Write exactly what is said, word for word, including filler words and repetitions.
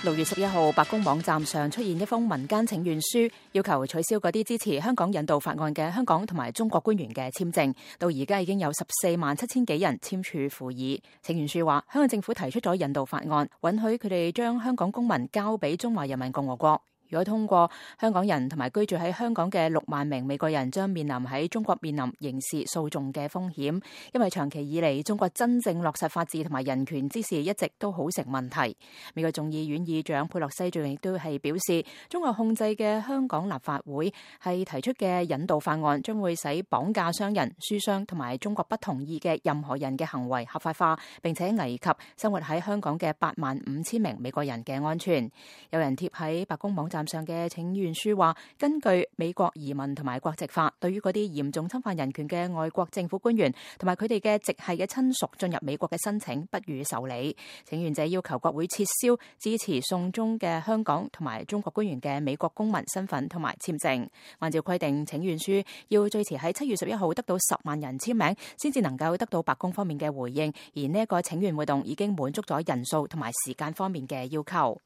六月十一號，白宮網站上出現一封民間請願書，要求取消嗰啲支持香港引渡法案嘅香港同埋中國官員嘅簽證。到而家已經有十四萬七千幾人簽署附議。請願書話，香港政府提出咗引渡法案，允許佢哋將香港公民交俾中華人民共和國。如果通過，香港人同埋居住喺香港嘅六萬名美國人將面臨喺中國面臨刑事訴訟嘅風險，因為長期以嚟中國真正落實法治同埋人權之事一直都好成問題。美國眾議院議長佩洛西最近亦都係表示，中國控制嘅香港立法會係提出嘅引渡法案，將會使綁架商人、書商同埋中國不同意嘅任何人嘅行為合法化，並且危及生活喺香港嘅八萬五千名美國人嘅安全。有人貼喺白宮網站上嘅請願書話，根據美國移民同埋國籍法，對於嗰啲嚴重侵犯人權嘅外國政府官員同埋佢哋嘅直系嘅親屬進入美國嘅申請不予受理。請願者要求國會撤銷支持送中嘅香港同埋中國官員嘅美國公民身份同埋簽證。按照規定，請願書要最遲喺七月十一號得到十萬人簽名，先至能夠得到白宮方面嘅回應。而呢一個請願活動已經滿足咗人數同埋時間方面嘅要求。